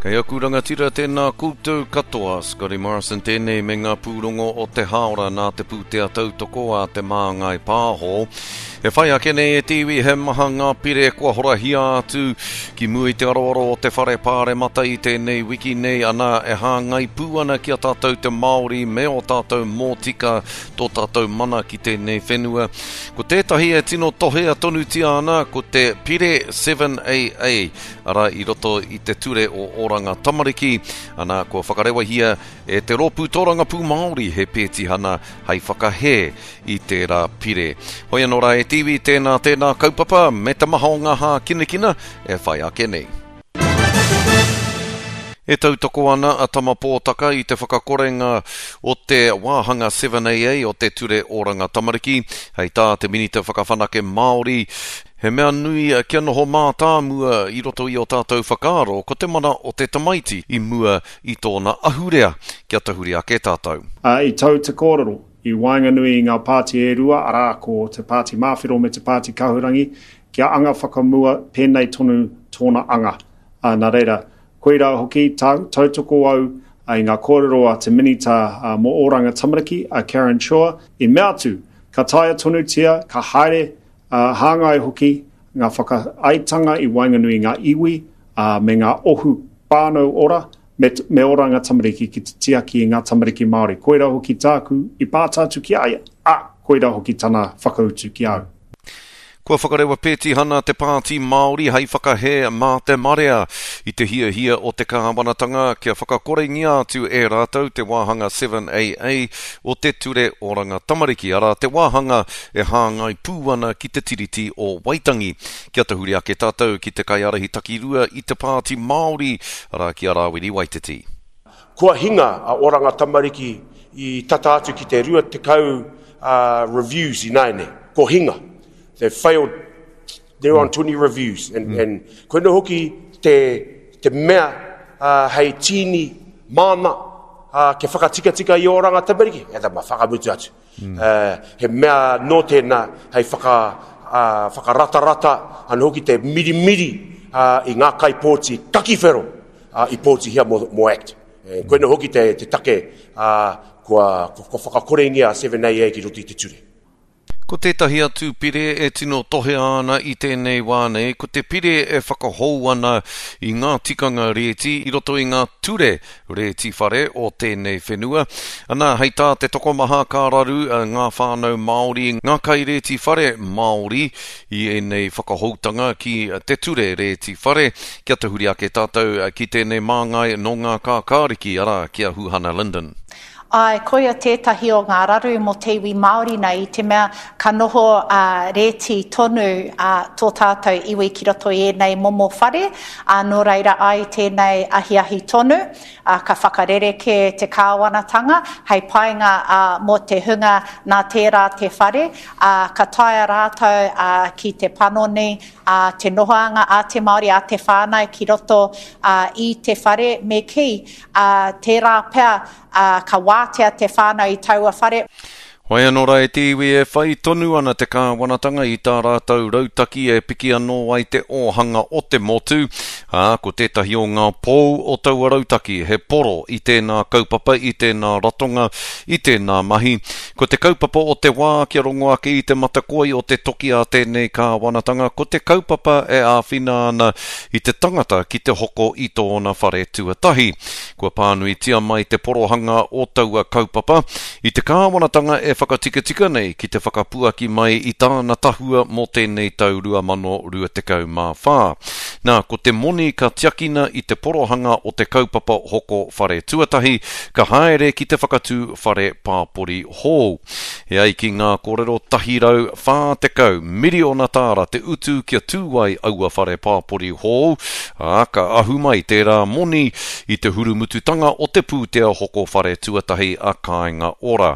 Kei aku rangatira tēnā koutou katoa, Scotty Morrison tēnei me ngā pūrongo o te hāora nā te pūtea tautoko a Te Māngai Pāho. E whai ake nei e te iwi he maha ngā pire kua horahia atu ki mua i te aroaro o te whare pāremata i tēnei wiki nei ana e hāngai pū ana ki a tātou te Māori me ō tātou mōtika tō tātou mana ki tēnei whenua. Ko tētahi e tino tohea tonutia ana ko te Pire 7AA, arā i roto i te ture o Oranga Tamariki, ana kua whakarewahia e te Rōpū Tōrangapū Māori he pētihana hei whakahē i tērā pire. Hoi anō rā e te iwi, tēnā, tēnā kaupapa me te maha o ngā hākinakina e whai ake nei. E tautoko ana a Tama Pōtaka i te whakakorenga o te wāhanga 7AA o te Ture Oranga Tamariki, hei tā te Minita Whakawhanake Māori, He mea nui kia noho mātāmua i roto i ō tātou whakaaro ko te mana o te tamaiti i mua i tōna ahurea, kia tahuri ake tātou. Ā, i tau te kōrero i waenganui i ngā pāti e rua, arā, ko te Pāti Māwhero me te Pāti Kahurangi, kia anga whakamua pēnei tonu tōna anga. Ā, nā reira, koirā hoki, tautoko au i ngā kōrero a te Minita mō Oranga Tamariki, a Karen Chhoa, i mea atu, ka taea tonutia, ka haere, ā, hāngai hoki ngā whakaaetanga i waenganui i ngā iwi, ā, me ngā ohu whānau ora, me, me Oranga Tamariki ki te tiaki i ngā tamariki Māori. Koirā hoki tāku i pāta atu ki a ia, ā, koirā hoki tana whakautu ki a au. Kua whakarewa pētihana te Pāti Māori hei whakahē mā te marea i te hiahia o te kāwanatanga kia whakakorengia atu e rātou te wāhanga 7AA o te Ture Oranga Tamariki, arā te wāhanga e hāngai pū ana ki te Tiriti o Waitangi. Kia tahuri ake tātou ki te kaiārahi takirua i te Pāti Māori, arā ki a Rāwiri Waititi. Kua hinga a Oranga Tamariki i tata atu ki te 20 reviews ināianei. Ko hinga. They failed they're on 20 reviews. And, mm. and koina hoki te, te mea uh, hei tīni māna uh, kia whakatikatika i Oranga Tamariki, e ma whakamutu atu. Mm. Uh, he mea nō tēnā hei whaka, uh, whakaratarata anō hoki te mirimiri uh, i ngā kaipōti kakiwhero uh, i pōtihia mō, mō ACT. E, mm. Koina hoki te, te take uh, kua, kua, kua whakakorengia a 7AA ki roto i te ture. Ko tētahi atu pire e tino tohea ana i tēnei wā nei, ko te pire e whakahou ana i ngā tikanga rēti i roto i ngā ture rēti whare o tēnei whenua. Anā, hei tā te tokomaha ka raru ngā whānau Māori, ngā kairēti whare Māori i ēnei whakahoutanga ki te ture rēti whare. Kia tahuri ake tātou ki tēnei māngai nō ngā kākāriki, arā, ki a Huhana Lyndon. Āe, koia tētahi o ngā raru mō te iwi Māori nei i te mea ka noho rēti tonu tō tātou iwi ki roto i ēnei momo whare, ā, nō reira ai tēnei ahiahi tonu, ā, ka whakarerekē te kāwanatanga hei painga mō te hunga nā tērā te whare, ā, ka taea rātou ki te panoni te nohoanga a te Māori, a te whānau ki roto i te whare me kī, ā, tērā pea, ā, ka wātea te whānau i taua whare. Whai anō rā e te iwi e whai tonu ana te kāwanatanga i tā rātou rautaki e piki anō ai te ōhanga o te motu, ā, ko tētahi o ngā pou o taua rautaki he poro i tēnā kaupapa, i tēnā ratonga, i tēnā mahi. Ko te kaupapa o te wā kia rongo ake i te matakoi o te toki a tēnei kāwanatanga, ko te kaupapa e āwhina ana i te tangata ki te hoko i tōna whare tuatahi. Kua pānuitia mai te porohanga o taua kaupapa i te kāwanatanga e whakatikatika nei ki te whakapuaki mai i tāna tahua mō tēnei tau 2024. Nā, ko te moni ka tiakina i te porohanga o te kaupapa hoko whare tuatahi, ka haere ki te whakatū whare pāpori hou. E ai ki ngā kōrero, 140 miriona tāra te utu kia tū ai aua whare pāpori hou, ā, ka ahu mai tērā moni i te hurumututanga o te pūtea hoko whare tuatahi a Kāinga Ora.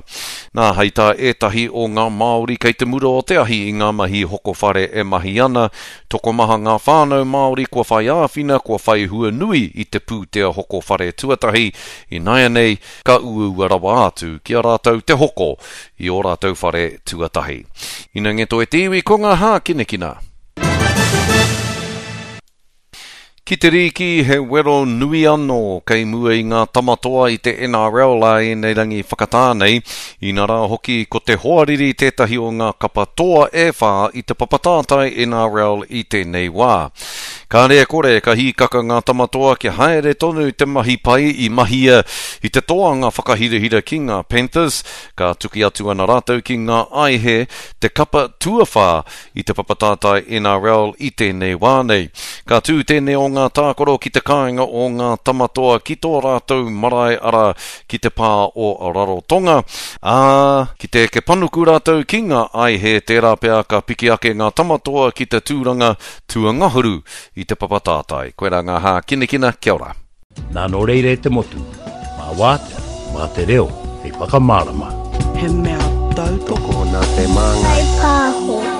Nā, hei tā ētahi o ngā Māori kei te mura o te ahi i ngā mahi hoko whare e mahi ana, tokomaha ngā whānau Māori kua whai āwhina, kua whai hua nui i te pūtea hoko whare tuatahi, ināianei, ka uaua rawa atu ki a rātou te hoko i ō rātou whare tuatahi. Ina ngeto e te iwi ko ngā hākinakina. Ki te rīki, he wero nui anō kei mua i ngā tama toa i te NRL ā ēnei rangi whakatā nei, inarā hoki ko te hoariri tētahi o ngā kapa toa e whā i te papa tātai NRL i tēnei wā. Kāre e kore ka hīkaka ngā tama toa kia haere tonu te mahi pai i mahia i te toanga whakahirahira ki ngā Panthers, ka tuki atu ana rātou ki ngā aihe, te kapa tuawhā i te papa tātai NRL i tēnei wā nei. Ka tū tēnei o ngā tākaro ki te kāinga o ngā Tamatoa ki tō rātou marae arā, ki te pā o Rarotonga, ā, ki te eke panuku rātou ki ngā aihe tērā pea ka piki ake ngā Tamatoa ki te tūranga tuangahuru i te papa tātai. Koirā ngā hākinakina, kia ora. Nā nō reira e te motu, mā wātea, mā te reo hei whakamārama. He mea tautoko. Tokona te māngai. Whai pāho.